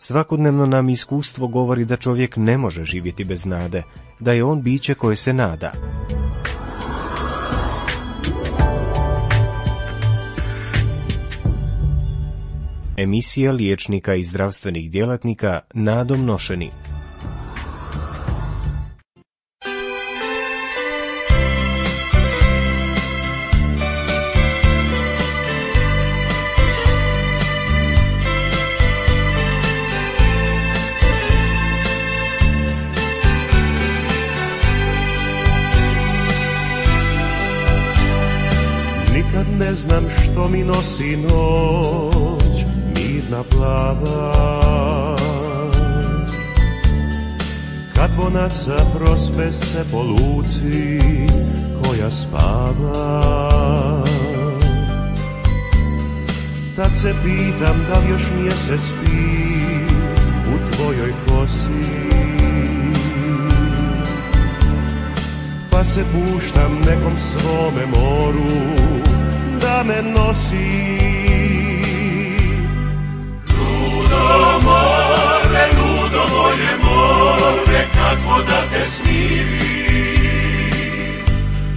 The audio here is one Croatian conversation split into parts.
Svakodnevno nam iskustvo govori da čovjek ne može živjeti bez nade, da je on biće koje se nada. Emisija liječnika i zdravstvenih djelatnika nadom nošeni. Ne znam što mi nosi noć, mirna plava. Kad bonaca prospe se po luci koja spava, tad se pitam da li još mjesec spi u tvojoj kosi. Pa se puštam nekom svome moru da me nosi. Ludo moje more, kako da te smiri.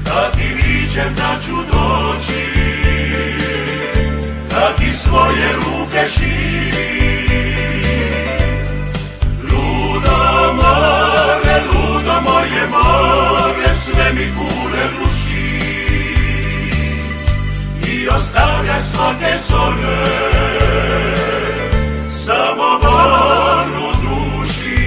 Kad ti viđem da ću doći, kad ti svoje ruke širi. Ludo moje more, sve mi kule ruši i ostavljaš svake zore, samo bol u duši.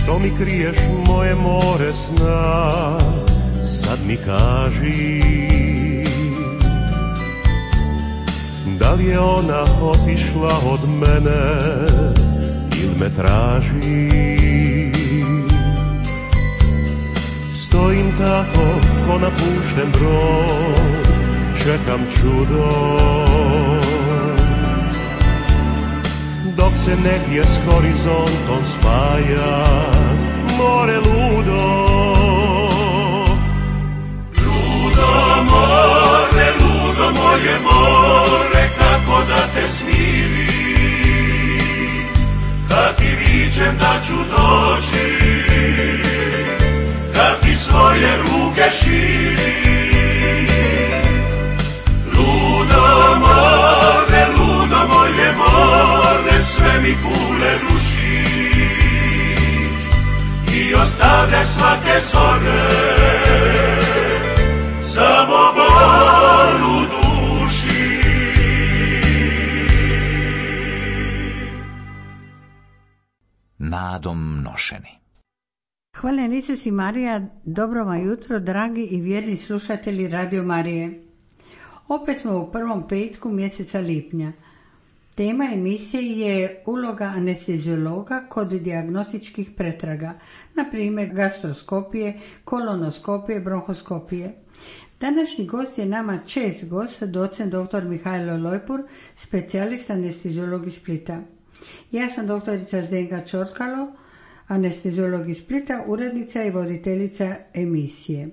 Što mi kriješ moje more sna, sad mi kaži. Da li je ona otišla od mene ili me traži? Stojim tako ko napušten brod, čekam čudo. Dok se negdje s horizontom spaja more ludo. Ludo moje more, kako da te smiri. Kad ti viđem da ću doći, kad ti svoje ruke širi. Ludo moje more, sve mi kule ruši i ostavljaš svake zore, samo bol u duši. Nadom nošeni. Hvala Isus i Marija, dobro vam jutro, dragi i vjerni slušatelji Radio Marije. Opet smo u prvom petku mjeseca lipnja. Tema emisije je uloga anesteziologa kod dijagnostičkih pretraga, na primjer gastroskopije, kolonoskopije, bronhoskopije. Današnji gost je nama čest gost, docent dr. Mihajlo Lojpur, specijalist anesteziolog iz Splita. Ja sam doktorica Zdenka Čorkalo, anesteziolog iz Splita, urednica i voditeljica emisije.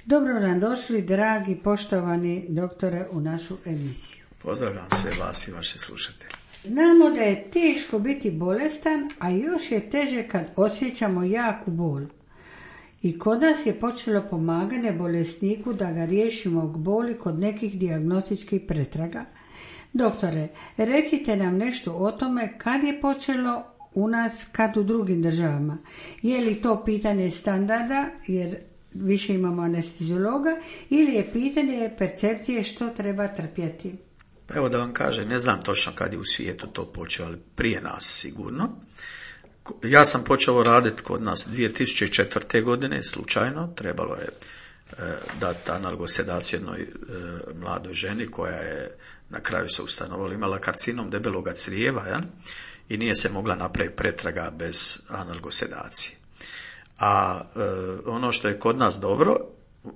Dobro nam došli, dragi, poštovani doktore, u našu emisiju. Pozdravljam sve vas i vaše slušatelje. Znamo da je teško biti bolestan, a još je teže kad osjećamo jaku bol. I kod nas je počelo pomaganje bolesniku da ga riješimo boli kod nekih dijagnostičkih pretraga. Doktore, recite nam nešto o tome kad je počelo u nas, kad u drugim državama. Je li to pitanje standarda, jer više imamo anesteziologa, ili je pitanje percepcije što treba trpjeti? Pa evo da vam kažem, ne znam točno kad je u svijetu to počelo, ali prije nas sigurno. Ja sam počeo raditi kod nas 2004. godine, slučajno, trebalo je dati analgosedaciju jednoj mladoj ženi koja je na kraju se ustanovila, imala karcinom debeloga crijeva, ja? I nije se mogla napraviti pretraga bez analgosedacije. A ono što je kod nas dobro,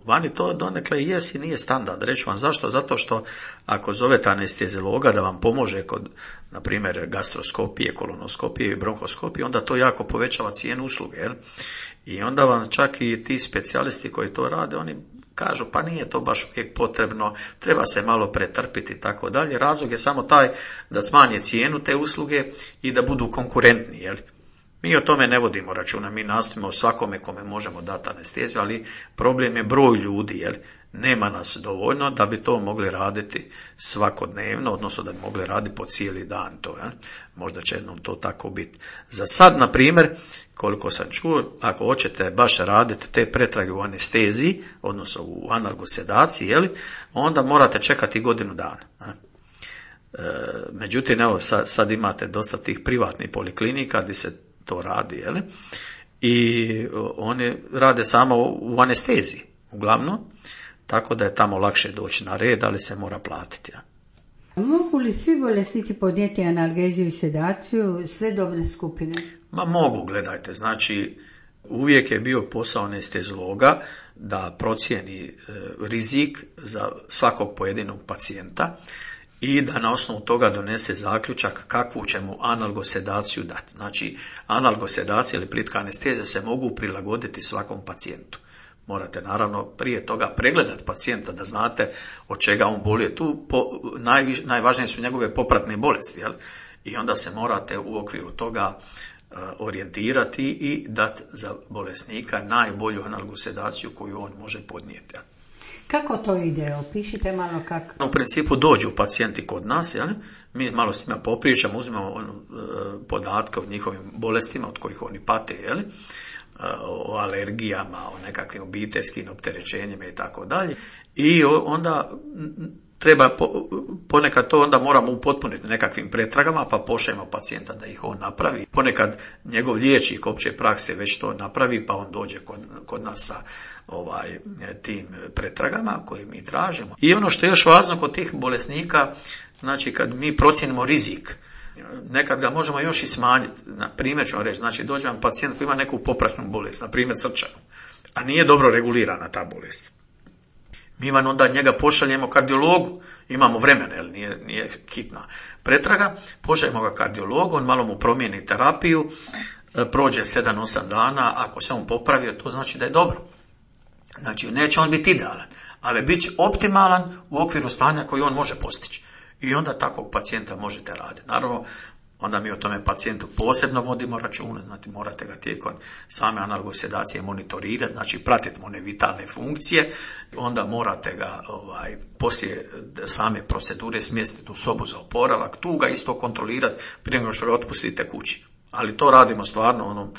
Vani to donekle jest i nije standard. Reću vam zašto? Zato što ako zovete anesteziologa da vam pomože kod, na primjer, gastroskopije, kolonoskopije i bronhoskopije, onda to jako povećava cijenu usluge. Jel? I onda vam čak i ti specijalisti koji to rade, oni kažu pa nije to baš uvijek potrebno, treba se malo pretrpiti i tako dalje. Razlog je samo taj da smanje cijenu te usluge i da budu konkurentni. Jel? Mi o tome ne vodimo računa, mi nastojimo svakome kome možemo dati anesteziju, ali problem je broj ljudi, jer nema nas dovoljno da bi to mogli raditi svakodnevno, odnosno da bi mogli raditi po cijeli dan to. Možda će jednom to tako biti. Za sad, na primjer, koliko sam čuo, ako hoćete baš raditi te pretrage u anesteziji, odnosno u analgosedaciji, onda morate čekati godinu dana. Međutim, evo, sad imate dosta tih privatnih poliklinika gdje se to radi, i oni rade samo u anesteziji, uglavnom, tako da je tamo lakše doći na red, ali se mora platiti. Mogu li svi bolesnici podnijeti analgeziju i sedaciju, sve dobne skupine? Ma mogu, gledajte, znači uvijek je bio posao anesteziologa da procijeni rizik za svakog pojedinog pacijenta i da na osnovu toga donese zaključak kakvu će mu analgosedaciju dati. Znači, analgosedacija ili plitka anestezija se mogu prilagoditi svakom pacijentu. Morate naravno prije toga pregledati pacijenta da znate od čega on boluje. Tu najvažnije su njegove popratne bolesti, i onda se morate u okviru toga orijentirati i dati za bolesnika najbolju analgosedaciju koju on može podnijeti. Kako to ide? Opišite malo kako. U principu dođu pacijenti kod nas, mi malo s njima popričamo, uzmemo podatke o njihovim bolestima od kojih oni pate, o alergijama, o nekakvim obiteljskim opterećenjima i tako dalje. I onda treba ponekad to onda moramo upotpuniti nekakvim pretragama, pa pošaljemo pacijenta da ih on napravi. Ponekad njegov liječnik opće prakse već to napravi, pa on dođe kod nas sa tim pretragama koje mi tražimo. I ono što je još važno kod tih bolesnika, znači kad mi procijenimo rizik, nekad ga možemo još i smanjiti. Na primjer ću vam reći, znači dođe vam pacijent koji ima neku popratnu bolest, na primjer srčanu, a nije dobro regulirana ta bolest. Mi vam onda njega pošaljemo kardiologu, imamo vremena, jer nije hitna pretraga, pošaljemo ga kardiologu, on malo mu promijeni terapiju, prođe 7-8 dana, ako se on popravio, to znači da je dobro. Znači, neće on biti idealan, ali bit će optimalan u okviru stanja koji on može postići. I onda takvog pacijenta možete raditi. Naravno, onda mi o tome pacijentu posebno vodimo računa, znači morate ga tijekom same analgosedacije monitorirati, znači pratiti one vitalne funkcije, onda morate ga poslije same procedure smjestiti u sobu za oporavak, tu ga isto kontrolirati prije nego što ga otpustite kući. Ali to radimo stvarno,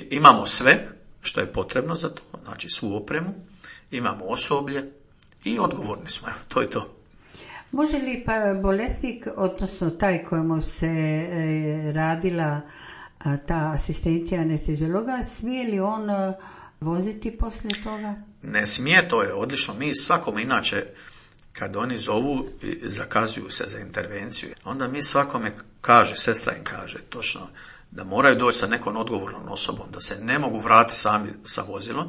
imamo sve što je potrebno za to, znači svu opremu, imamo osoblje i odgovorni smo, to je to. Može li pa bolesnik, odnosno taj kojemu se radila ta asistencija anesteziologa, smije li on voziti poslije toga? Ne smije, to je odlično. Mi svakome inače, kad oni zovu i zakazuju se za intervenciju, onda mi svakome sestra im kaže točno da moraju doći sa nekom odgovornom osobom, da se ne mogu vratiti sami sa vozilom.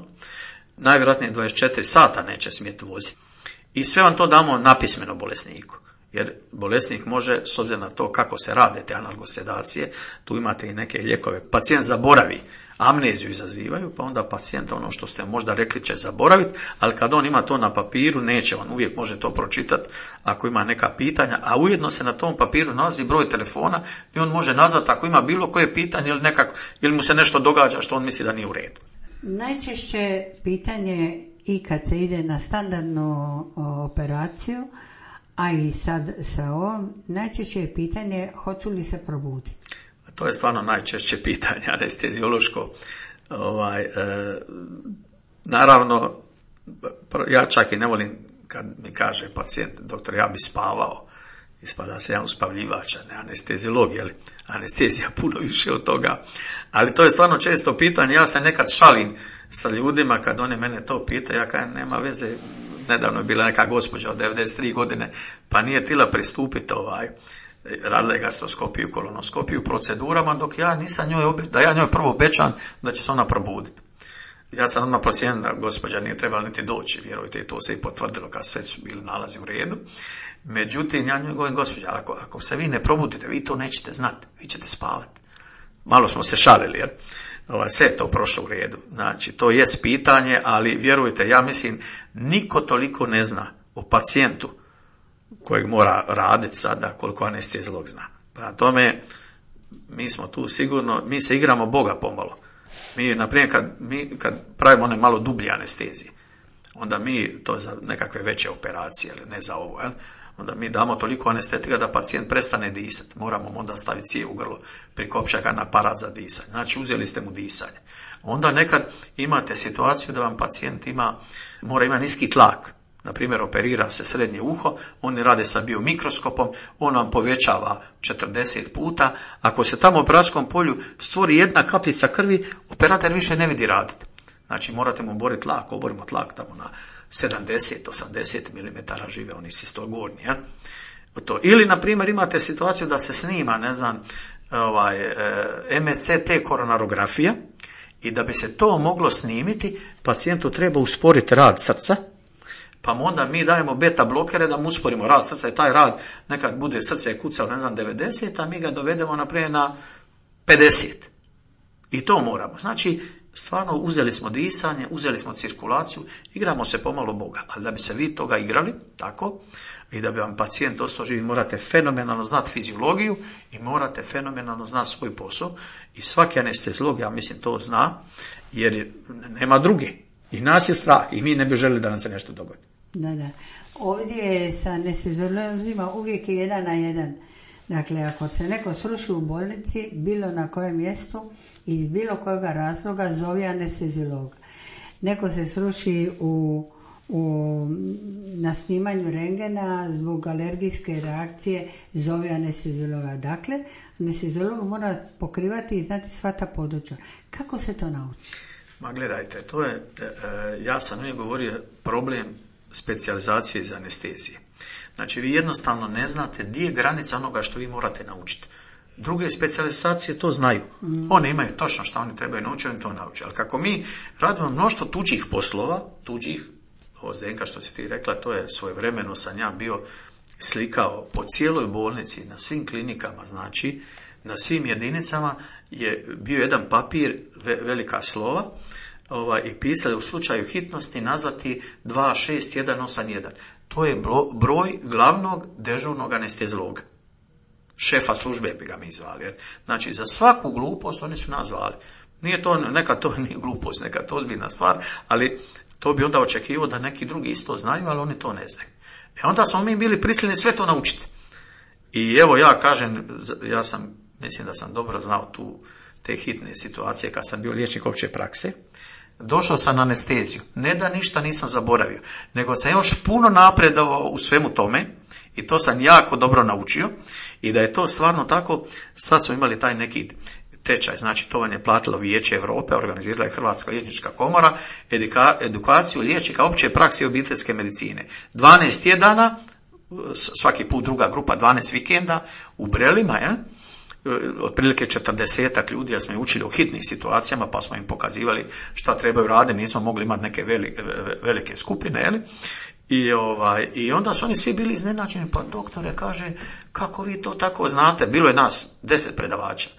Najvjerojatnije 24 sata neće smjeti voziti. I sve vam to damo napismeno bolesniku. Jer bolesnik može, s obzirom na to kako se rade te analgosedacije, tu imate i neke lijekove. Pacijent zaboravi, amneziju izazivaju, pa onda pacijent ono što ste možda rekli će zaboraviti, ali kad on ima to na papiru, neće, on uvijek može to pročitati ako ima neka pitanja, a ujedno se na tom papiru nalazi broj telefona i on može nazvati ako ima bilo koje pitanje ili mu se nešto događa što on misli da nije u redu. Najčešće pitanje i kad se ide na standardnu operaciju, a i sad sa ovom, najčešće je pitanje hoću li se probuditi. To je stvarno najčešće pitanje anesteziološko. Naravno, ja čak i ne volim kad mi kaže pacijent, doktor, ja bi spavao. Ispada se ja uspavljivač, ne anesteziolog, jer anestezija puno više od toga. Ali to je stvarno često pitanje, ja se nekad šalim sa ljudima kad oni mene to pitaju, ja kažem, nema veze, nedavno je bila neka gospođa od 93 godine, pa nije tila pristupiti radila je gastroskopiju, kolonoskopiju, procedurama, dok ja nisam da ja njoj prvo obećam da će se ona probuditi. Ja sam odmah procijenio da gospođa nije trebala niti doći, vjerujte, i to se i potvrdilo kad sve su bili nalazi u redu. Međutim, ja njoj govorim, gospođa, ako se vi ne probudite, vi to nećete znati, vi ćete spavati. Malo smo se šalili, jer sve je to prošlo u redu. Znači, to jest pitanje, ali vjerujte, ja mislim, niko toliko ne zna o pacijentu kojeg mora raditi sada koliko anesteziolog zna. Prema tome, mi smo tu sigurno, mi se igramo Boga pomalo. Mi, na primjer, kad pravimo one malo dublje anestezije, onda mi to za nekakve veće operacije, ali ne za ovo, onda mi damo toliko anestetika da pacijent prestane disati. Moramo mu onda staviti cijev u grlo, prikopčati ga na aparat za disanje. Znači, uzeli ste mu disanje. Onda nekad imate situaciju da vam pacijent mora imati niski tlak. Na primjer, operira se srednje uho, oni rade sa biomikroskopom, on vam povećava 40 puta. Ako se tamo u operacijskom polju stvori jedna kapljica krvi, operator više ne vidi raditi. Znači, morate mu oboriti tlak, oborimo tlak tamo na 70-80 mm žive, oni sistogorni. Ili, na primjer, imate situaciju da se snima, MRCT koronarografija, i da bi se to moglo snimiti, pacijentu treba usporiti rad srca, pa mu onda mi dajemo beta blokere da mu usporimo rad srca i taj rad nekad bude srce kucao 90, a mi ga dovedemo naprijed na 50. I to moramo. Znači, stvarno uzeli smo disanje, uzeli smo cirkulaciju, igramo se pomalo Boga. Ali da bi se vi toga igrali, tako, i da bi vam pacijent ostao živi, morate fenomenalno znati fiziologiju i morate fenomenalno znati svoj posao. I svaki anesteziolog, ja mislim, to zna, jer nema druge. I nas je strah i mi ne bi želili da nam se nešto dogodi. Da. Ovdje sa anesteziolozima uvijek je 1 na 1. Dakle, ako se neko sruši u bolnici, bilo na kojem mjestu, iz bilo kojega razloga, zove anesteziolog. Neko se sruši na snimanju rengena zbog alergijske reakcije, zove anesteziologa. Dakle, anesteziolog mora pokrivati i znati sva ta područja. Kako se to nauči? Ma gledajte, to je, ja sam uvijek govorio, problem specijalizacije iz anestezije. Znači, vi jednostavno ne znate gdje je granica onoga što vi morate naučiti. Druge specijalizacije to znaju. One imaju točno što oni trebaju naučiti, oni to nauče. Ali kako mi radimo mnoštvo tuđih poslova, ovo Zdenka što si ti rekla, to je svojevremeno sam ja bio slikao po cijeloj bolnici, na svim klinikama, znači, na svim jedinicama je bio jedan papir, velika slova, i pisali u slučaju hitnosti nazvati 26181. To je broj glavnog dežurnog anesteziologa. Šefa službe bi ga mi zvali. Znači, za svaku glupost oni su nas zvali. Nije to, neka to nije glupost, neka to ozbiljna stvar, ali to bi onda očekivao da neki drugi isto znaju, ali oni to ne znaju. Onda smo mi bili prisiljeni sve to naučiti. I evo ja kažem, mislim da sam dobro znao te hitne situacije kad sam bio liječnik opće prakse. Došao sam na anesteziju. Ne da ništa nisam zaboravio, nego sam još puno napredovao u svemu tome i to sam jako dobro naučio i da je to stvarno tako. Sad smo imali taj neki tečaj, znači to vam je platilo Vijeće Europe, organizirala je Hrvatska liječnička komora, edukaciju liječnika opće prakse i obiteljske medicine. 12 tjedana, svaki put druga grupa, 12 vikenda u Brelima, otprilike 40 ljudi, ja smo ih učili o hitnim situacijama, pa smo im pokazivali šta trebaju raditi, nismo mogli imati neke velike skupine, I onda su oni svi bili iznenađeni, pa doktore, kaže, kako vi to tako znate, bilo je nas 10 predavača.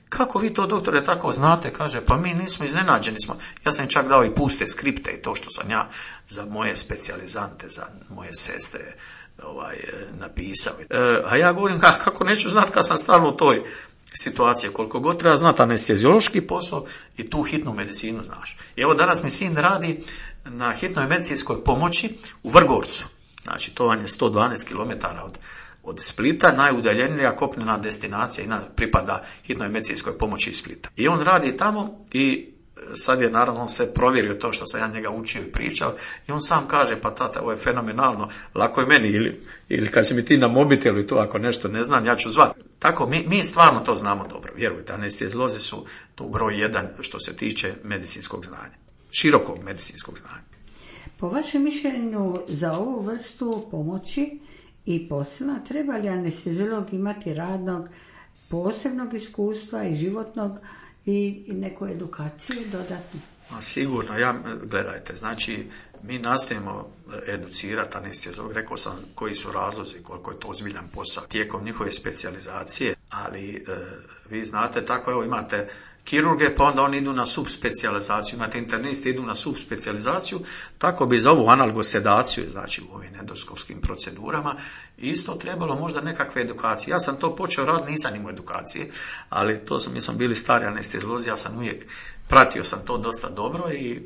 Kako vi to, doktore, tako znate? Kaže, pa mi nismo, iznenađeni smo. Ja sam čak dao i puste skripte i to što sam ja za moje specijalizante, za moje sestre napisao. A ja govorim, kako neću znati kad sam stalno u toj situaciji, koliko god treba znati anesteziološki posao i tu hitnu medicinu znaš. I evo danas mi sin radi na hitnoj medicinskoj pomoći u Vrgorcu. Znači, to vam je 112 km od Splita, najudaljenija kopnena destinacija i pripada hitnoj medicinskoj pomoći iz Splita. I on radi tamo i sad je naravno sve provjerio to što sam ja njega učio i pričao i on sam kaže, pa tata, ovo je fenomenalno, lako je meni ili kad si mi ti na mobitelu i to ako nešto ne znam, ja ću zvati. Tako, mi stvarno to znamo dobro, vjerujte, anesteziolozi su tu broj 1 što se tiče medicinskog znanja, širokog medicinskog znanja. Po vašem mišljenju za ovu vrstu pomoći i posla treba li anesteziolog imati radnog posebnog iskustva i životnog i neku edukaciju dodatnu? Sigurno, gledajte, znači mi nastojimo educirati anesteziolog, rekao sam koji su razlozi, koliko je to ozbiljan posao tijekom njihove specijalizacije, ali vi znate tako, evo imate kirurge, pa onda oni idu na subspecijalizaciju, imate interniste, idu na subspecijalizaciju, tako bi za ovu analgosedaciju, znači u ovim endoskopskim procedurama, isto trebalo možda nekakve edukacije. Ja sam to počeo raditi, nisam imao edukacije, ali to mi smo bili stari anesteziolozi, ja sam uvijek pratio sam to dosta dobro i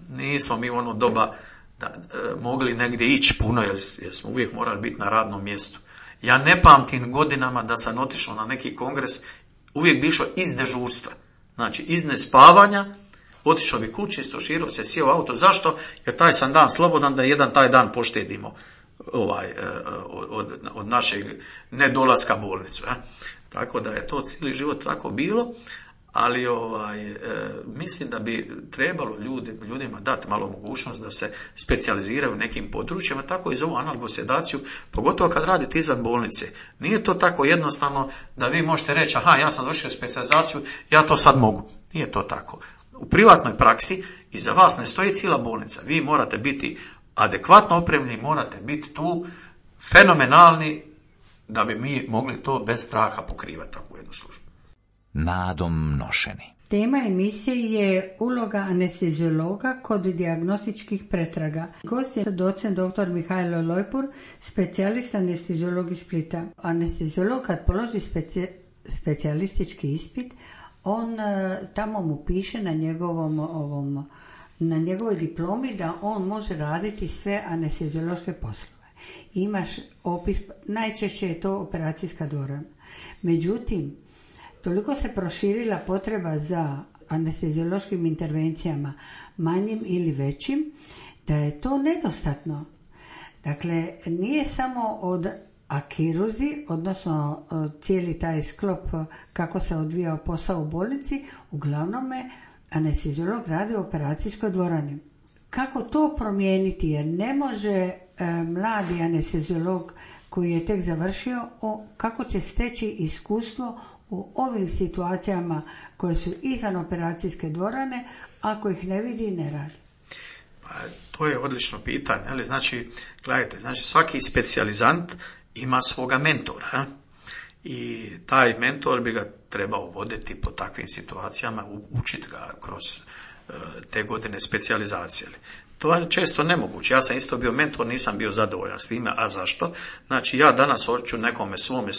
nismo mi u ono doba mogli negdje ići puno, jer smo uvijek morali biti na radnom mjestu. Ja ne pamtim godinama da sam otišao na neki kongres, uvijek bi išao iz dežurstva, znači iz nespavanja, otišao bi kući, istoširao se, sjeo u auto. Zašto? Jer taj sam dan slobodan, da jedan taj dan poštedimo od našeg nedolaska bolnicu. Tako da je to cijeli život tako bilo, ali mislim da bi trebalo ljudima dati malo mogućnost da se specijaliziraju u nekim područjima, tako i za ovu analgosedaciju, pogotovo kad radite izvan bolnice. Nije to tako jednostavno da vi možete reći, aha, ja sam završio specijalizaciju, ja to sad mogu. Nije to tako. U privatnoj praksi iza vas ne stoji cijela bolnica. Vi morate biti adekvatno opremljeni, morate biti tu fenomenalni da bi mi mogli to bez straha pokrivati takvu jednu službu. Nadom nošeni. Tema emisije je uloga anesteziologa kod dijagnostičkih pretraga. Gost je docent dr. Mihajlo Lojpur, specijalist anesteziolog iz Splita. Anesteziolog kad položi specijalistički ispit, on tamo mu piše na njegovoj diplomi da on može raditi sve anesteziološke poslove. Imaš opis, najčešće je to operacijska dvorana. Međutim, toliko se proširila potreba za anesteziološkim intervencijama, manjim ili većim, da je to nedostatno. Dakle, nije samo kirurzi, odnosno cijeli taj sklop kako se odvijao posao u bolnici, uglavnom anesteziolog radi u operacijskoj dvorani. Kako to promijeniti? Jer ne može mladi anesteziolog koji je tek završio, kako će steći iskustvo u ovim situacijama koje su izvan operacijske dvorane, ako ih ne vidi i ne radi? Pa, to je odlično pitanje. Ali, gledajte, svaki specijalizant ima svoga mentora. I taj mentor bi ga trebao voditi po takvim situacijama, učiti ga kroz te godine specijalizacije. To je često nemoguće. Ja sam isto bio mentor, nisam bio zadovoljan s time. A zašto? Znači, ja danas hoću nekome svome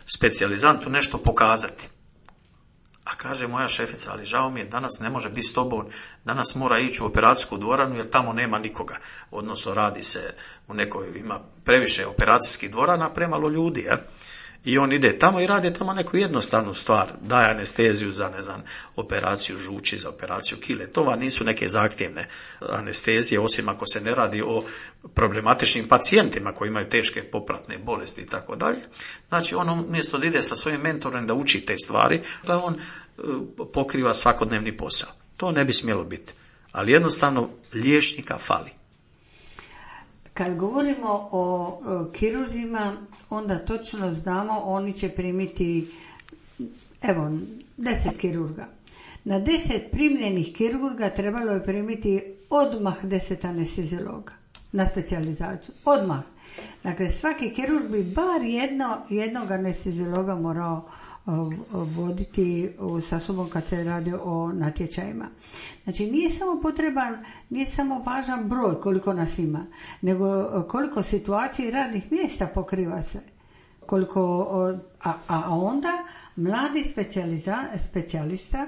specijalizantu nešto pokazati. A kaže moja šefica, ali žao mi je, danas ne može biti s tobom, danas mora ići u operacijsku dvoranu jer tamo nema nikoga. Odnosno, radi se u nekoj, ima previše operacijskih dvorana, premalo ljudi. I on ide tamo i radi tamo neku jednostavnu stvar. Daje anesteziju za, operaciju žuči, za operaciju kile. To vam nisu neke zahtjevne anestezije, osim ako se ne radi o problematičnim pacijentima koji imaju teške popratne bolesti i tako dalje. Znači, on umjesto da ide sa svojim mentorom da uči te stvari, da on pokriva svakodnevni posao. To ne bi smjelo biti. Ali jednostavno liječnika fali. Kad govorimo o kirurzima, onda točno znamo, oni će primiti, 10 kirurga. Na 10 primljenih kirurga trebalo je primiti odmah 10 anesteziologa na specijalizaciju. Odmah. Dakle, svaki kirurg bi bar jednog anesteziologa morao voditi sa sobom kad se radi o natječajima. Znači, nije samo važan broj koliko nas ima, nego koliko situacija i radnih mjesta pokriva se. A onda mladi specijalista,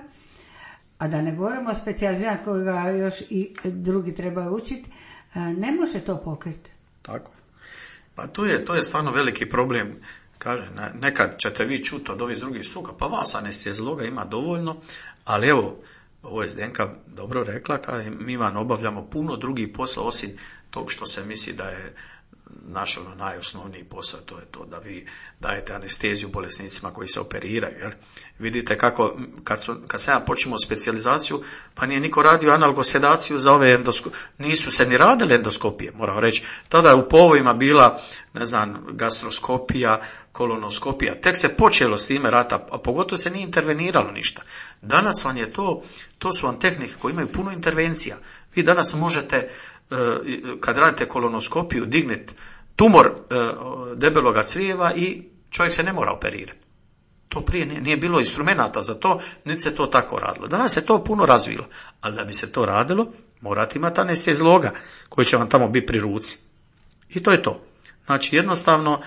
a da ne govorimo o specijalizant kojega još i drugi trebaju učiti, ne može to pokriti. Tako. Pa to je stvarno veliki problem. Kaže, nekad ćete vi čuti od ovih drugih struka, pa vas anesteziologa ima dovoljno, ali evo, ovo je Zdenka dobro rekla, mi vam obavljamo puno drugih posla, osim tog što se misli da je naš najosnovniji posao, to je to da vi dajete anesteziju bolesnicima koji se operiraju. Jer vidite kako, kad sam ja počinio specijalizaciju, pa nije niko radio analgosedaciju za ove nisu se ni radile endoskopije, moram reći. Tada je u povojima bila, ne znam, gastroskopija, kolonoskopija. Tek se počelo s time rata, a pogotovo se nije interveniralo ništa. Danas vam je to su vam tehnike koje imaju puno intervencija. Vi danas možete, kad radite kolonoskopiju, digniti tumor debeloga crijeva i čovjek se ne mora operirati. To prije nije bilo instrumenata za to, niti se to tako radilo. Danas se to puno razvilo, ali da bi se to radilo, morate imati anestezologa koji će vam tamo biti pri ruci. I to je to. Znači, jednostavno,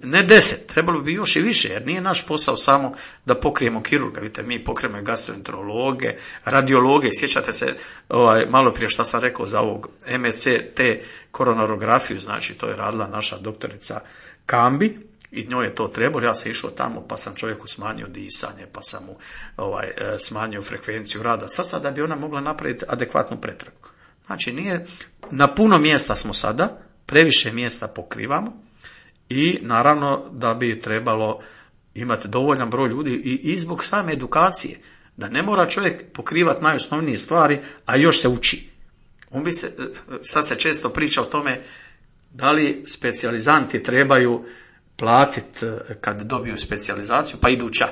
ne 10, trebalo bi još i više, jer nije naš posao samo da pokrijemo kirurga. Vidite, mi pokrijemo gastroenterologe, radiologe. Sjećate se malo prije što sam rekao za ovog MSCT koronarografiju, znači to je radila naša doktorica Kambi i njoj je to trebalo. Ja sam išao tamo pa sam čovjeku smanjio disanje, pa sam mu smanjio frekvenciju rada srca da bi ona mogla napraviti adekvatnu pretragu. Znači, nije, na puno mjesta smo sada, previše mjesta pokrivamo. I naravno da bi trebalo imati dovoljan broj ljudi i zbog same edukacije, da ne mora čovjek pokrivati najosnovnije stvari, a još se uči. Sad se često priča o tome da li specijalizanti trebaju platiti kad dobiju specijalizaciju, pa idu ča.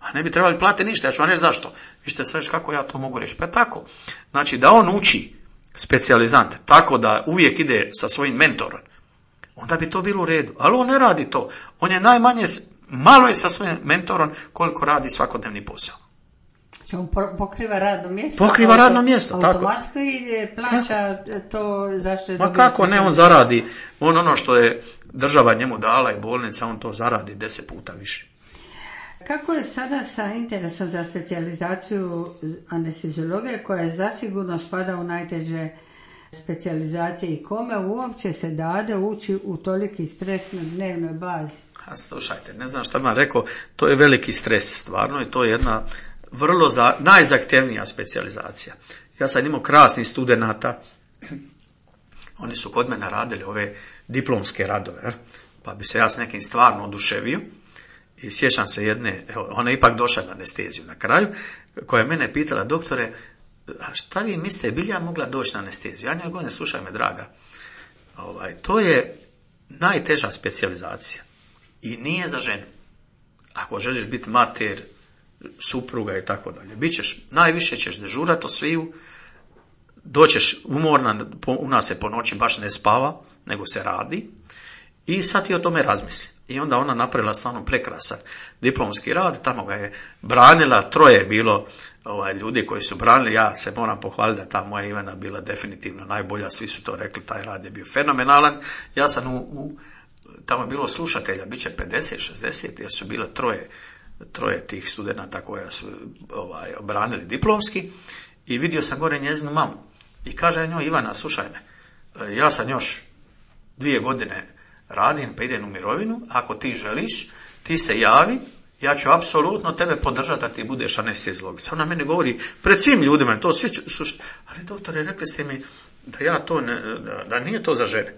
A ne bi trebali platiti ništa, ja ću vam reći zašto. Vi ćete sve reći kako ja to mogu reći. Pa tako, znači da on uči specijalizante tako da uvijek ide sa svojim mentorom, onda bi to bilo u redu. Ali on ne radi to. On je najmanje, malo je sa svojim mentorom koliko radi svakodnevni posao. On pokriva radno mjesto. Pokriva radno mjesto, tako. Automatski plaća to zašto je dobio. Ma kako ne, on zaradi. Ono što je država njemu dala i bolnica, on to zaradi 10 puta više. Kako je sada sa interesom za specijalizaciju anesteziologije koja zasigurno spada u najteže specijalizacije i kome uopće se dade ući u toliki stres na dnevnoj bazi? A slušajte, ne znam šta bih vam rekao, to je veliki stres stvarno i to je jedna vrlo najzahtjevnija specijalizacija. Ja sam imao krasnih studenata, oni su kod mene radili ove diplomske radove, pa bi se ja s nekim stvarno oduševio i sjećam se jedne, ona je ipak došla na anesteziju na kraju, koja je mene pitala: doktore, a šta vi mislite, bi li ja mogla doći na anesteziju? Ja njoj govorim: slušaj me draga, to je najteža specijalizacija i nije za ženu. Ako želiš biti mater, supruga i tako dalje, najviše ćeš dežurati od sviju, doćeš umorna, u nas se po noći baš ne spava, nego se radi, i sad ti o tome razmisli. I onda ona napravila stvarno prekrasan diplomski rad, tamo ga je branila, 3 je bilo ljudi koji su branili, ja se moram pohvaliti da ta moja Ivana bila definitivno najbolja, svi su to rekli, taj rad je bio fenomenalan. Ja sam tamo je bilo slušatelja, bit će 50, 60, jer su bila 3 tih studenata koja su branili diplomski, i vidio sam gore njezinu mamu. I kaže njoj: Ivana, slušaj me, ja sam još 2 godine radim, pa idem u mirovinu, ako ti želiš, ti se javi, ja ću apsolutno tebe podržati da ti budeš anesteziolog. Ona meni govori pred svim ljudima, to svi slušaj, ali doktore, rekli ste mi da ja to da nije to za žene.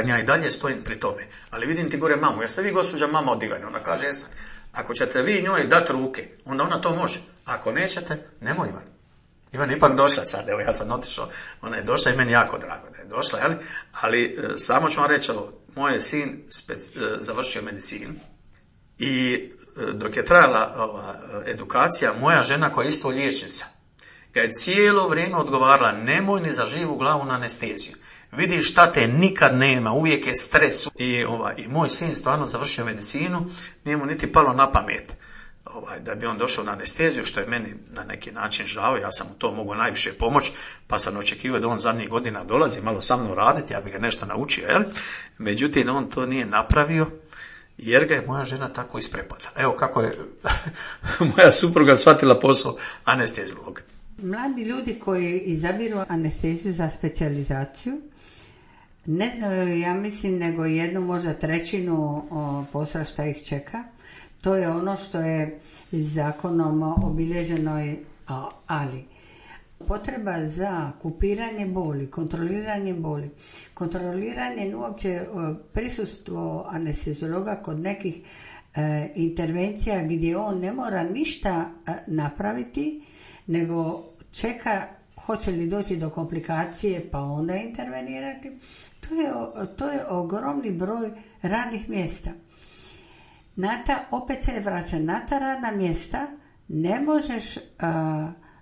Ja i dalje stojim pri tome, ali vidim ti gore mamu, jeste vi gospođa mama od Ivane? Ona kaže: jesam. Ako ćete vi njoj dati ruke, onda ona to može. Ako nećete, nemoj Ivan. Ivan je ipak došla sad, evo ja sam otišao, ona je došla i meni jako drago da je došla, ali samo ću vam reći ovo, moj je sin završio medicinu i dok je trajala edukacija, moja žena koja je isto liječnica ga je cijelo vrijeme odgovarala: nemoj ni za živu glavu na anesteziju. Vidiš šta te nikad nema, uvijek je stres. I moj sin stvarno završio medicinu, nije mu niti palo na pamet da bi on došao na anesteziju, što je meni na neki način žao. Ja sam mu to mogao najviše pomoći, pa sam očekivao da on zadnjih godina dolazi malo sa mnom raditi, ja bi ga nešto naučio, Međutim, on to nije napravio, jer ga je moja žena tako isprepadala. Evo kako je moja supruga shvatila posao anesteziologa. Mladi ljudi koji izabiru anesteziju za specijalizaciju ne znaju, ja mislim, nego 1, možda 1/3 posla šta ih čeka. To je ono što je zakonom obilježeno, ali Potreba za kupiranje boli, kontroliranje boli, kontroliranje uopće prisustvo anesteziologa kod nekih intervencija gdje on ne mora ništa napraviti, nego čeka hoće li doći do komplikacije pa onda intervenirati. To je ogromni broj radnih mjesta. Opet se vraća na ta radna mjesta, ne možeš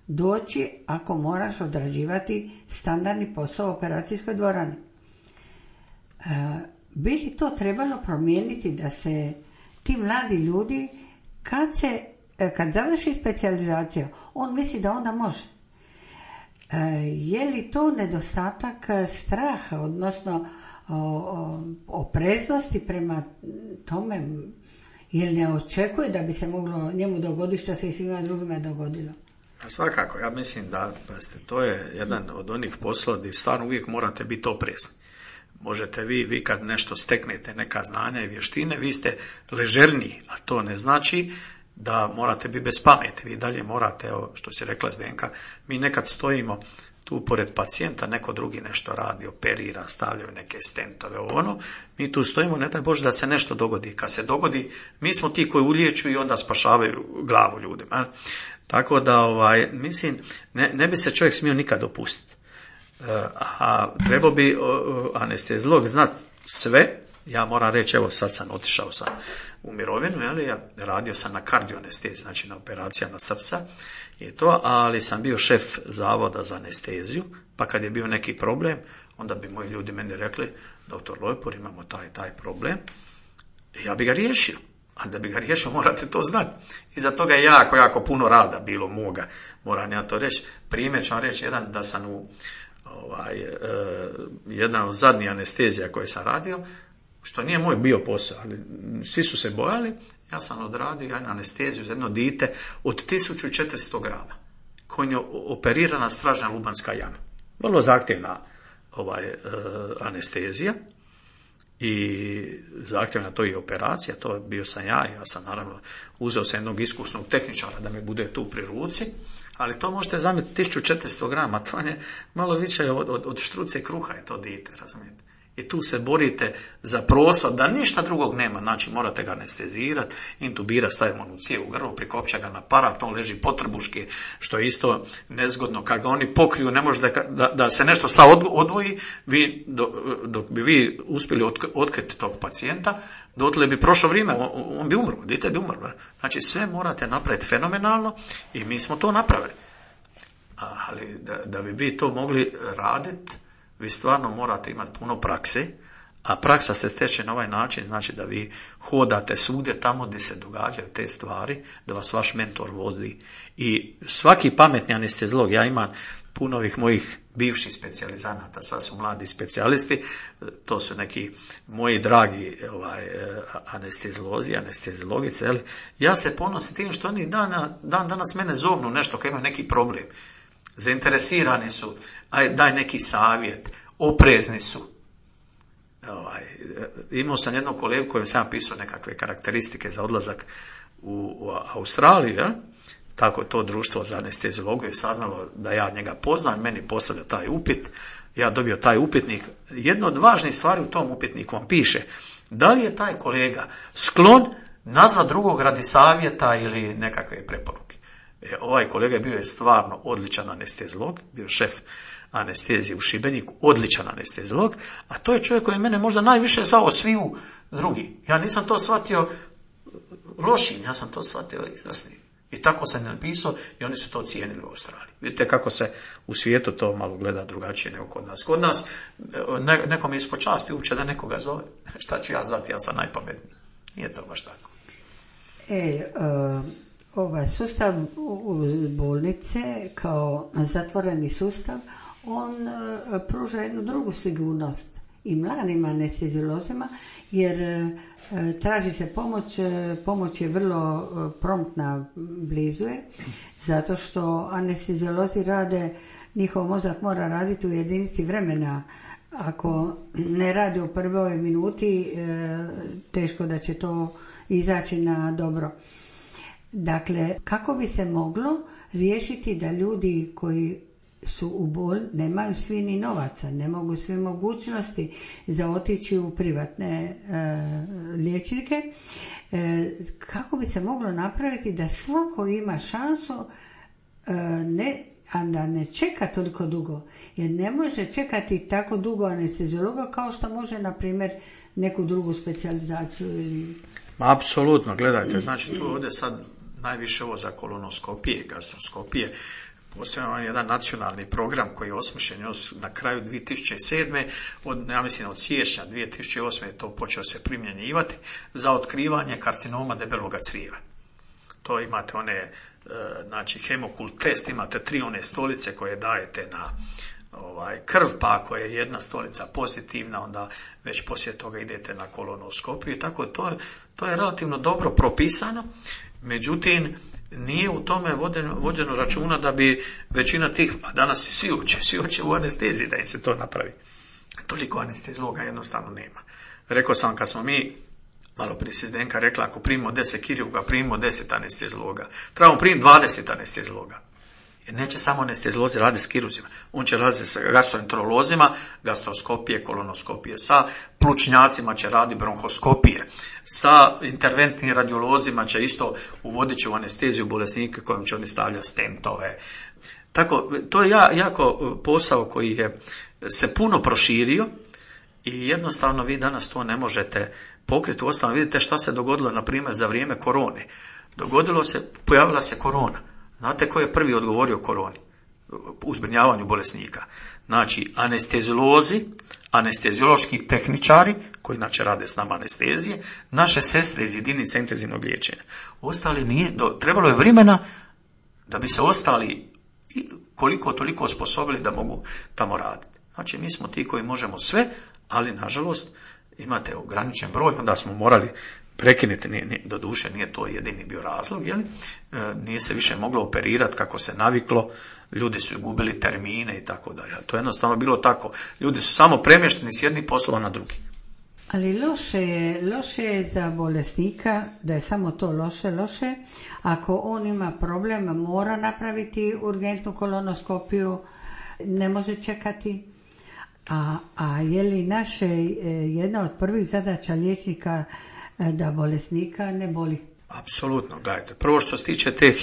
doći ako moraš odrađivati standardni posao u operacijskoj dvorani. Bi li to trebalo promijeniti da se ti mladi ljudi, kad završi specijalizaciju, on misli da onda može. Je li to nedostatak straha, odnosno opreznosti prema tome, jer ne očekuje da bi se moglo njemu dogoditi što se i svima drugima dogodilo? Svakako, ja mislim da to je jedan od onih poslova gdje stvarno uvijek morate biti oprezni. Možete vi kad nešto steknete, neka znanja i vještine, vi ste ležerniji, a to ne znači da morate biti bez pameti. Vi dalje morate, evo što si rekla Zdenka, mi nekad stojimo tu pored pacijenta, neko drugi nešto radi, operira, stavljaju neke stentove, mi tu stojimo, ne daj Bože da se nešto dogodi. Kad se dogodi, mi smo ti koji uliječu i onda spašavaju glavu ljudima. Tako da, mislim, ne bi se čovjek smio nikad dopustiti. A trebao bi anesteziolog znati sve. Ja moram reći, evo sad sam otišao u mirovinu, ja radio sam na kardioanesteziji, znači na operacijama srca i to, ali sam bio šef zavoda za anesteziju, pa kad je bio neki problem, onda bi moji ljudi meni rekli, doktor Lojpor, imamo taj problem, ja bi ga riješio. A da bi ga riješio, morate to znati. Iza toga je jako puno rada bilo moga, moram ja to reći. Primjer ću vam reći jedan, da sam jedan od zadnjih anestezija koje sam radio, što nije moj bio posao, ali svi su se bojali, ja sam odradio jednu anesteziju za jedno dite od 1400 grama, koji je operirana stražna lubanska jama. Vrlo zahtjevna anestezija i zahtjevna to i operacija, to bio sam ja sam naravno uzeo sam jednog iskusnog tehničara da mi bude tu pri ruci, ali to možete zamisliti 1400 grama, to je malo više od štruce kruha je to dite, razumijete. I tu se borite za prostor, da ništa drugog nema, znači morate ga anestezirati, intubirati, stavimo onu cijev u grlo, prikopča ga na aparat, on leži potrbuški, što je isto nezgodno, kad ga oni pokriju, ne može da se nešto sad odvoji, dok bi vi uspjeli otkriti tog pacijenta, dotle bi prošlo vrijeme, on bi umro, dite bi umro. Znači sve morate napraviti fenomenalno i mi smo to napravili. Ali da bi vi to mogli raditi, vi stvarno morate imati puno prakse, a praksa se steče na ovaj način, znači da vi hodate svugdje tamo gdje se događaju te stvari, da vas vaš mentor vodi. I svaki pametni anesteziolog, ja imam puno ovih mojih bivših specijalizanata, sad su mladi specijalisti, to su neki moji dragi anesteziolozi, anesteziologice, ja se ponosim tim što oni dan danas mene zovnu nešto kad imaju neki problem. Zainteresirani su, daj neki savjet, oprezni su. Imao sam jednog kolegu kojem sam pisao nekakve karakteristike za odlazak u Australiju, tako to društvo za anesteziologiju je saznalo da ja njega poznam, meni postavlja taj upit, ja dobio taj upitnik. Jedno od važnih stvari u tom upitniku vam piše, da li je taj kolega sklon nazvat drugog radi savjeta ili nekakve preporuke. Ovaj kolega bio je stvarno odličan anesteziolog, bio šef anestezije u Šibeniku, odličan anesteziolog, a to je čovjek koji mene možda najviše zvao sviju drugi. Ja nisam to shvatio lošim, ja sam to shvatio izvrsnim. I tako sam napisao i oni su to cijenili u Australiji. Vidite kako se u svijetu to malo gleda drugačije nego kod nas. Kod nas nekom je ispod časti uopće da nekoga zove. Šta ću ja zvati, ja sam najpametniji. Nije to baš tako. Ovaj sustav bolnice kao zatvoreni sustav, on pruža jednu drugu sigurnost i mladim anesteziolozima, jer traži se pomoć je vrlo promptna, blizu je, zato što anesteziolozi rade, njihov mozak mora raditi u jedinici vremena. Ako ne radi u prvoj minuti, teško da će to izaći na dobro. Dakle, kako bi se moglo riješiti da ljudi koji su u nemaju svi ni novaca, ne mogu sve mogućnosti za otići u privatne liječnike. Kako bi se moglo napraviti da svako ima šansu a da ne čeka toliko dugo, jer ne može čekati tako dugo anesteziologa kao što može, na primjer, neku drugu specijalizaciju ili... Apsolutno, gledajte, znači tu ovdje sad najviše ovo za kolonoskopije i gastroskopije. Postoji jedan nacionalni program koji je osmišljen još na kraju 2007. Ja mislim od siječnja 2008. je to počeo se primjenjivati za otkrivanje karcinoma debeloga crijeva. To imate znači hemokult test, imate 3 one stolice koje dajete na krv, pa ako je jedna stolica pozitivna, onda već poslije toga idete na kolonoskopiju i tako. To je relativno dobro propisano, međutim nije u tome vođeno računa da bi većina tih, a danas svi uče u anesteziji da im se to napravi. Toliko anesteziologa jednostavno nema. Rekao sam, kad smo mi, malo prije se Zdenka rekla, ako primimo 10 kirurga, primimo 10 anesteziologa. Trebamo primiti 20 anesteziologa. Jer neće samo anesteziolozi raditi s kiruzima. On će raditi sa gastroenterolozima, gastroskopije, kolonoskopije. Sa plućnjacima će raditi bronhoskopije. Sa interventnim radiolozima će isto uvodit će u anesteziju bolesnike kojim će oni stavljati stentove. Tako, to je jako posao koji je se puno proširio i jednostavno vi danas to ne možete pokriti. Uostalom vidite šta se dogodilo, na primjer, za vrijeme korone. Pojavila se korona. Znate ko je prvi odgovorio koroni u zbrinjavanju bolesnika? Znači, anesteziolozi, anesteziološki tehničari, koji inače rade s nama anestezije, naše sestre iz jedinice intenzivnog liječenja. Ostali nije, trebalo je vremena da bi se ostali koliko toliko osposobili da mogu tamo raditi. Znači, mi smo ti koji možemo sve, ali nažalost imate ograničen broj, onda smo morali prekinuti, doduše nije to jedini bio razlog, nije se više moglo operirati kako se naviklo, ljudi su gubili termine i tako dalje. To je jednostavno bilo tako. Ljudi su samo premješteni s jednih poslova na drugi. Ali loše je za bolesnika, da je samo to loše. Ako on ima problem, mora napraviti urgentnu kolonoskopiju, ne može čekati. A je li jedna od prvih zadaća liječnika da bolesnika ne boli? Apsolutno, gledajte. Prvo što se tiče te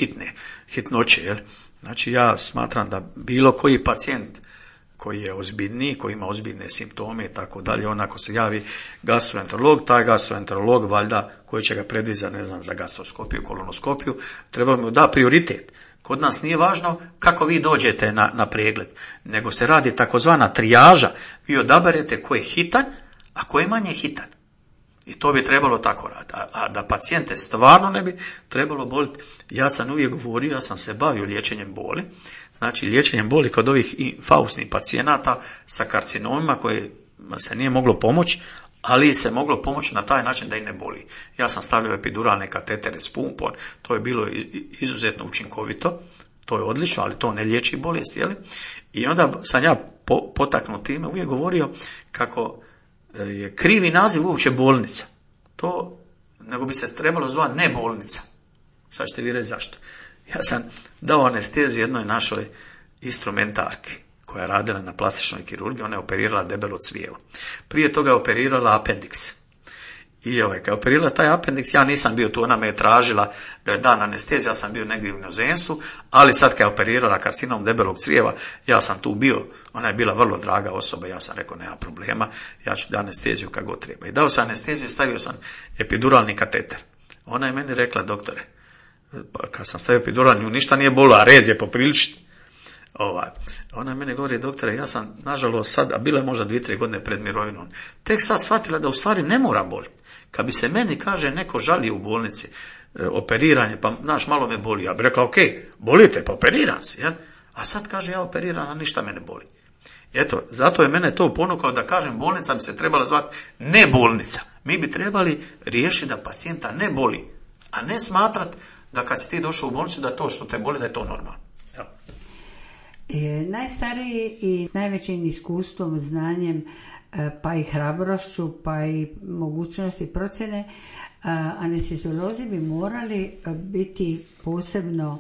hitnoće, znači ja smatram da bilo koji pacijent koji je ozbiljniji, koji ima ozbiljne simptome i tako dalje, onako se javi gastroenterolog, taj gastroenterolog valjda koji će ga predvizati, ne znam, za gastroskopiju, kolonoskopiju, treba mu da prioritet. Kod nas nije važno kako vi dođete na pregled, nego se radi takozvana trijaža. Vi odaberete ko je hitan, a ko je manje hitan. I to bi trebalo tako raditi. A da pacijente stvarno ne bi trebalo boliti. Ja sam uvijek govorio, ja sam se bavio liječenjem boli. Znači liječenjem boli kod ovih infausnih pacijenata sa karcinomima koje se nije moglo pomoći, ali se moglo pomoći na taj način da i ne boli. Ja sam stavljao epiduralne katetere s pumpom, to je bilo izuzetno učinkovito, to je odlično, ali to ne liječi bolest, I onda sam ja potaknut time uvijek govorio kako je krivi naziv uopće bolnica. To, nego bi se trebalo zvati ne bolnica. Sad ćete vi reći zašto. Ja sam dao anesteziju jednoj našoj instrumentarki koja je radila na plastičnoj kirurgiji, ona je operirala debelo crijevo. Prije toga je operirala apendiks. I kad je operirala taj apendiks, ja nisam bio tu, ona me je tražila da je dan anesteziju, ja sam bio negdje u inozemstvu, ali sad kad je operirala karcinom debelog crijeva, ja sam tu bio, ona je bila vrlo draga osoba, ja sam rekao nema problema, ja ću da anesteziju kako god treba. I dao sam anesteziju, stavio sam epiduralni kateter. Ona je meni rekla, doktore, kad sam stavio epiduralni, ništa nije bolilo, a rez je popriličiti. Ona je mene govori, doktore, ja sam nažalost sad, a bilo je možda 2-3 godine pred mirovinom, tek sad shvatila da u stvari ne mora boliti. Kad bi se meni, kaže, neko žali u bolnici, operiranje, pa malo me boli, ja bi rekla, ok, bolite, pa operiram se, a sad kaže, ja operiram, a ništa me ne boli. Eto, zato je mene to ponukalo da kažem, bolnica bi se trebala zvati ne bolnica. Mi bi trebali riješiti da pacijenta ne boli, a ne smatrat da kad si ti došao u bolnicu da to što te boli, da je to normalno. Najstariji i s najvećim iskustvom, znanjem, pa i hrabrošću, pa i mogućnosti procjene, anesteziolozi bi morali biti posebno,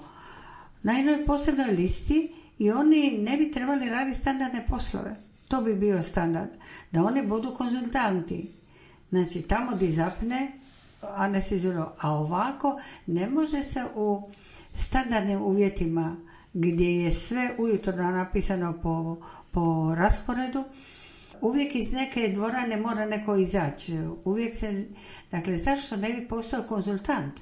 na jednoj posebnoj listi i oni ne bi trebali raditi standardne poslove. To bi bio standard. Da oni budu konzultanti. Znači, tamo di zapne anesteziolog. A ovako ne može se u standardnim uvjetima gdje je sve ujutro napisano po rasporedu, uvijek iz neke dvorane mora neko izaći. Uvijek se, dakle, zašto ne bi postao konzultant?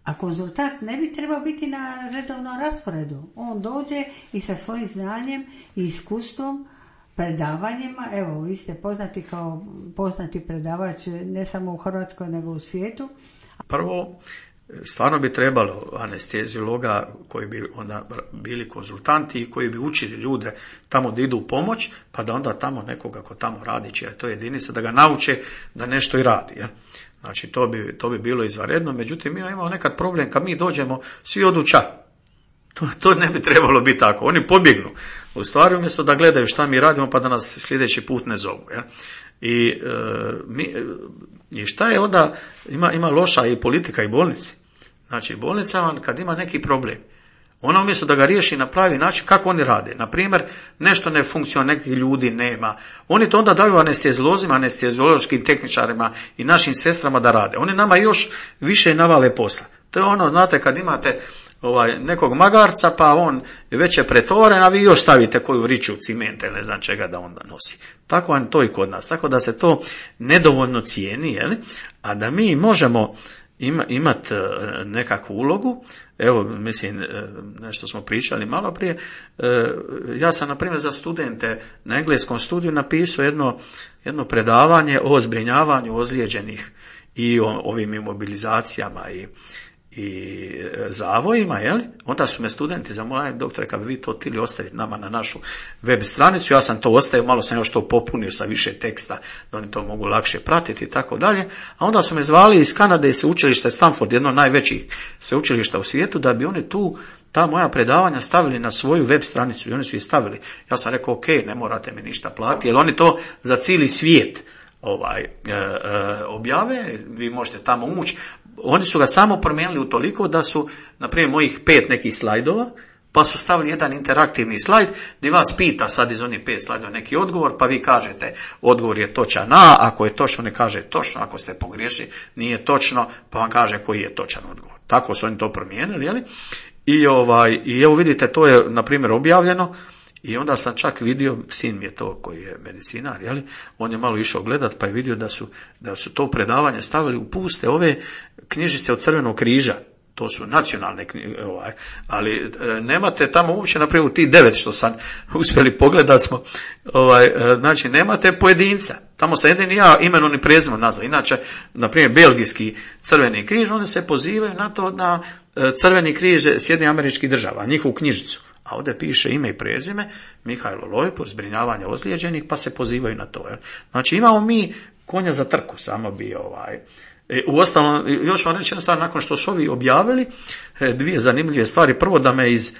A konzultant ne bi trebao biti na redovnom rasporedu. On dođe i sa svojim znanjem i iskustvom, predavanjima, evo, vi ste poznati kao poznati predavač ne samo u Hrvatskoj nego u svijetu. Prvo, stvarno bi trebalo anesteziologa koji bi onda bili konzultanti i koji bi učili ljude tamo da idu u pomoć, pa da onda tamo nekoga ko tamo radi, čija je to jedinica, da ga nauče da nešto i radi. Ja? Znači, to bi bilo izvanredno, međutim, mi imamo nekad problem kad mi dođemo, svi odu ča. To ne bi trebalo biti tako. Oni pobjegnu. U stvari, umjesto da gledaju šta mi radimo, pa da nas sljedeći put ne zovu. Ja? I šta je onda, ima loša i politika i bolnice. Znači, bolnica vam kad ima neki problem, ona umjesto da ga riješi na pravi način, kako oni rade? Na primjer, nešto ne funkcionira, nekih ljudi nema. Oni to onda daju anesteziolozima, anesteziološkim tehničarima i našim sestrama da rade. Oni nama još više navale posla. To je ono, znate, kad imate nekog magarca, pa on je već je pretovaren, a vi još stavite koju vriću cimenta ili ne znam čega da onda nosi. Tako vam to i kod nas. Tako da se to nedovoljno cijeni, jel? A da mi možemo imati nekakvu ulogu, evo, mislim, nešto smo pričali malo prije, ja sam, na primjer, za studente na engleskom studiju napisao jedno predavanje o zbrinjavanju ozlijeđenih i o ovim imobilizacijama i zavojima, jel? Onda su me studenti zamolili, doktore, kad bi vi to htjeli ostaviti nama na našu web stranicu, ja sam to ostavio, malo sam još to popunio sa više teksta, da oni to mogu lakše pratiti i tako dalje, a onda su me zvali iz Kanade i sveučilište Stanford, jedno od najvećih sveučilišta u svijetu, da bi oni ta moja predavanja stavili na svoju web stranicu i oni su ih stavili. Ja sam rekao, ok, ne morate mi ništa platiti, jer oni to za cijeli svijet objave, vi možete tamo ući. Oni su ga samo promijenili utoliko da su, na primjer, mojih 5 nekih slajdova, pa su stavili jedan interaktivni slajd gdje vas pita sad iz onih 5 slajdova neki odgovor, pa vi kažete odgovor je točan A, ako je točno ne kaže točno, ako ste pogriješili nije točno, pa vam kaže koji je točan odgovor. Tako su oni to promijenili, jeli? I evo vidite, to je, na primjer, objavljeno. I onda sam čak vidio, sin mi je to koji je medicinar, jeli? On je malo išao gledat, pa je vidio da su to predavanje stavili u puste ove knjižice od Crvenog križa. To su nacionalne knjige, ali nemate tamo uopće, naprimjer, u tih 9 što sam uspjeli pogledat smo, znači nemate pojedinca. Tamo sam jedini ja imenom i prezimenom nazvao. Inače, na primjer, belgijski Crveni križ, oni se pozivaju na to na Crveni križ Sjedinjenih Američkih Država, njihovu knjižicu. A ovdje piše ime i prezime, Mihajlo Lojpur, zbrinjavanje ozlijeđenih, pa se pozivaju na to. Znači, imamo mi konja za trku, samo bi Uostalom, još vam reći jednu stvar, nakon što su ovi objavili, 2 zanimljive stvari. Prvo, da me iz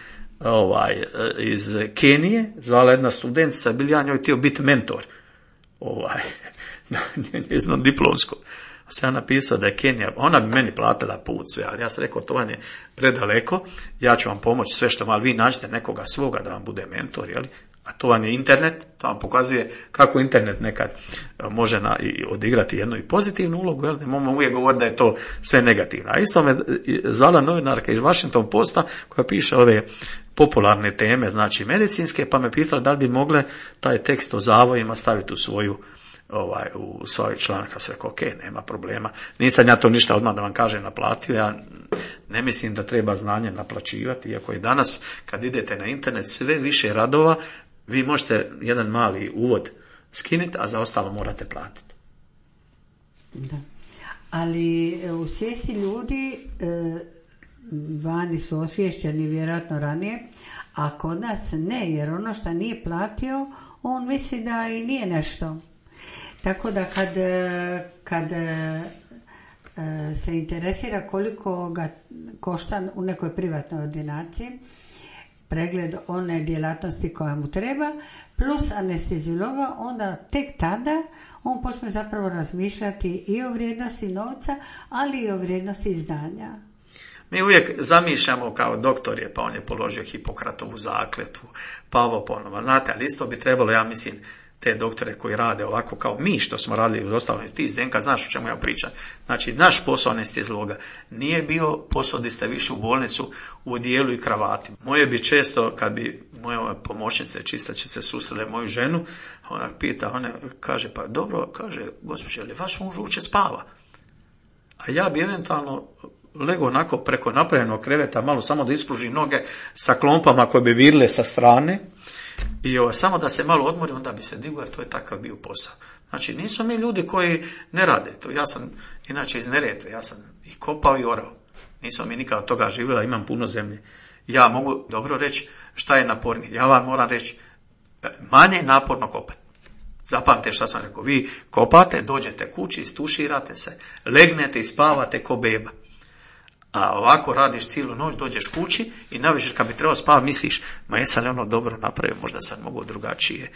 Kenije zvala jedna studentica, bili ja njoj htio biti mentor, njeznom diplomskom. Sam ja napisao da je Kenija, ona bi meni platila put sve, ali ja sam rekao, to vam je predaleko, ja ću vam pomoći sve što malo, vi nađete nekoga svoga da vam bude mentor, jeli? A to vam je internet, to vam pokazuje kako internet nekad može odigrati jednu i pozitivnu ulogu, jel? Ne možemo uvijek govoriti da je to sve negativno. A isto me zvala novinarka iz Washington Posta koja piše ove popularne teme, znači medicinske, pa me pitala da li bi mogle taj tekst o zavojima staviti u u svoj članak. Ja sam rekao, ok, nema problema. Nisam ja to ništa odmah da vam kažem naplatio, ja ne mislim da treba znanje naplaćivati, iako je danas kad idete na internet sve više radova, vi možete jedan mali uvod skinuti, a za ostalo morate platiti. Da. Ali u svijesti ljudi vani su osviješćeni vjerojatno ranije, a kod nas ne, jer ono što nije platio, on misli da i nije nešto. Tako da kad se interesira koliko ga košta u nekoj privatnoj ordinaciji, pregled one djelatnosti koja mu treba, plus anesteziologa, onda tek tada on počne zapravo razmišljati i o vrijednosti novca, ali i o vrijednosti znanja. Mi uvijek zamišljamo kao doktor je, pa on je položio Hipokratovu zakletvu, pa ovo ponovo. Znate, ali isto bi trebalo, ja mislim, te doktore koji rade ovako kao mi što smo radili u ostalom, ti Zdenka, znaš o čemu ja pričam. Znači, naš posao anestezijologa nije bio posao da ste više u bolnicu u odijelu i kravati. Moje bi često, kad bi moja pomoćnice čistačice susrele moju ženu, ona pita, ona kaže, pa dobro, kaže, gospođe, ali vaš muž uopće spava? A ja bi eventualno lego onako preko napravljenog kreveta, malo samo da ispružim noge sa klompama koje bi virile sa strane, i samo da se malo odmori, onda bi se digao, jer to je takav bio posao. Znači, nismo mi ljudi koji ne rade to. Ja sam, inače, iz Neretve, ja sam i kopao i orao. Nismo mi nikada od toga živjela, imam puno zemlje. Ja mogu dobro reći šta je napornije. Ja vam moram reći, manje je naporno kopati. Zapamtite šta sam rekao. Vi kopate, dođete kući, istuširate se, legnete i spavate ko beba. A ovako radiš cijelu noć, dođeš kući i navečer kad bi trebao spavati misliš, ma jesam li ono dobro napravio, možda sam mogao drugačije.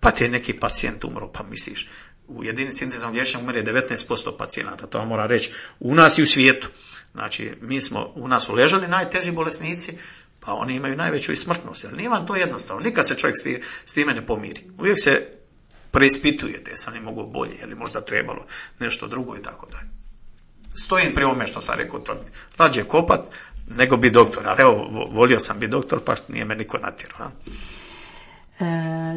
Pa ti je neki pacijent umro, pa misliš, u jedinici intenzivnog liječenja umre 19% pacijenata, to vam moram reći, u nas i u svijetu. Znači, u nas su ležali najteži bolesnici, pa oni imaju najveću i smrtnost. Ali nije vam to jednostavno, nikad se čovjek s time ne pomiri. Uvijek se preispitujete, jesam li mogu bolje, ili možda trebalo nešto drugo i tako dalje. Stojim pri ovome što sam rekao, rađe kopat nego bi doktor, ali evo, volio sam biti doktor, pa nije me niko natjerao.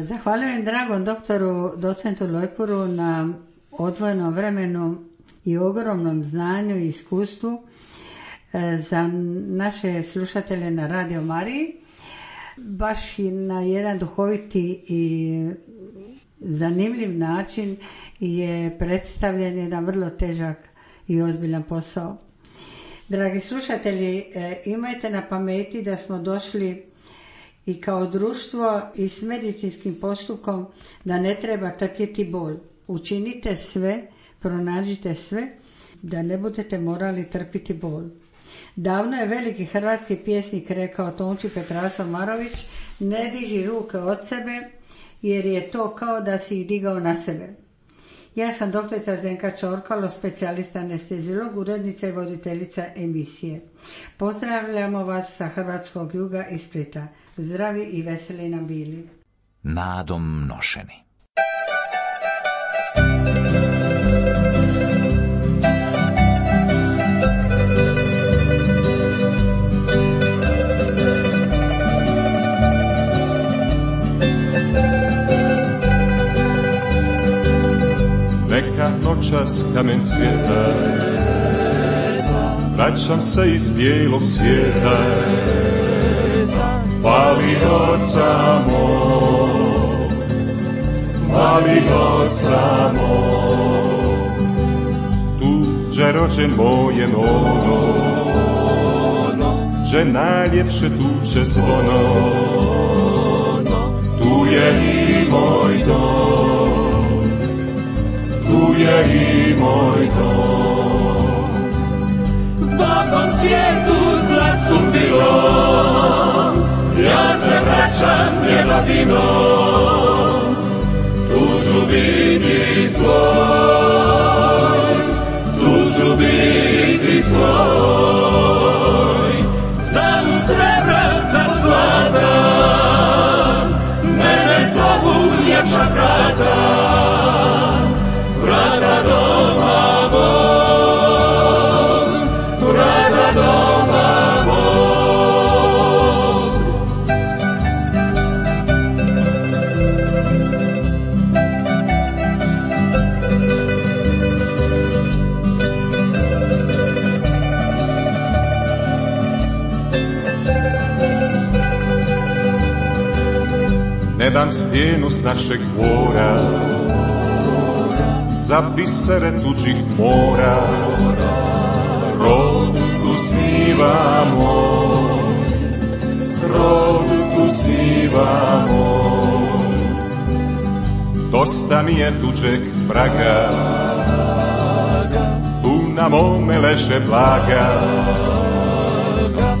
Zahvaljujem dragom doktoru, docentu Lojpuru na odvojenom vremenu i ogromnom znanju i iskustvu za naše slušatelje na Radio Mariji. Baš i na jedan duhoviti i zanimljiv način je predstavljen jedan vrlo težak i ozbiljan posao. Dragi slušatelji, imajte na pameti da smo došli i kao društvo i s medicinskim postupkom da ne treba trpjeti bol. Učinite sve, pronađite sve, da ne budete morali trpiti bol. Davno je veliki hrvatski pjesnik rekao, Tonči Petrasov Marović, ne diži ruke od sebe, jer je to kao da si ih digao na sebe. Ja sam doktorica Zdenka Čorkalo, specijalista anestezijolog, urednica i voditeljica emisije. Pozdravljamo vas sa hrvatskog juga i Splita. Zdravi i veseli nam bili. Nadom nošeni. Neka noćas kamen cvjeta, vraćam se iz bijelog svijeta, mali oca moj, mali oca moj. Tuđe rođen moje nono, že najljepše tuče zvono, tu je i moj dom, tu je i moj dom. Zbogom svijetu zla su bilo, ja se vraćam njegovinom, tu ću biti svoj, tu ću biti svoj. Za u srebra, za u zlata, mene zovu ljepša vrata, vrata doma mog, vrata doma mog. Ne dam stijenu s našeg dvora, za bisere tuđih mora, rod tu snivamo, rod tu snivamo. Dosta mi je tuđeg praga, tu na mome leže blaga,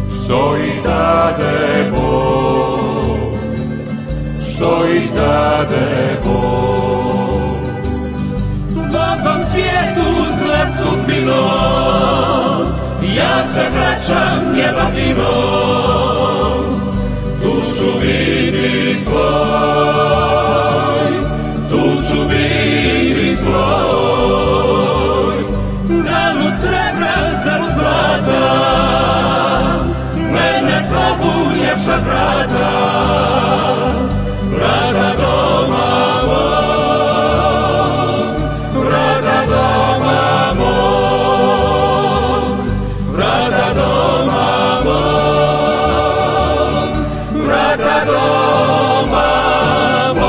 što ih dade Bog, što ih dade Bog. Zbogom svijetu zla su bilo, ja se vraćam Jelavinom, tu ću biti svoj, tu ću biti svoj. Zalud srebra, zalud zlata, mene zovu ljepša vrata, vrata doma mog, vrata doma mog, vrata doma mog, vrata doma mog.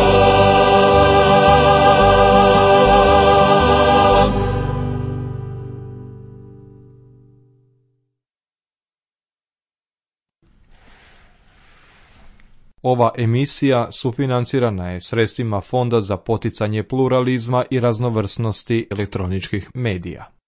Ova emisija sufinancirana je sredstvima Fonda za poticanje pluralizma i raznovrsnosti elektroničkih medija.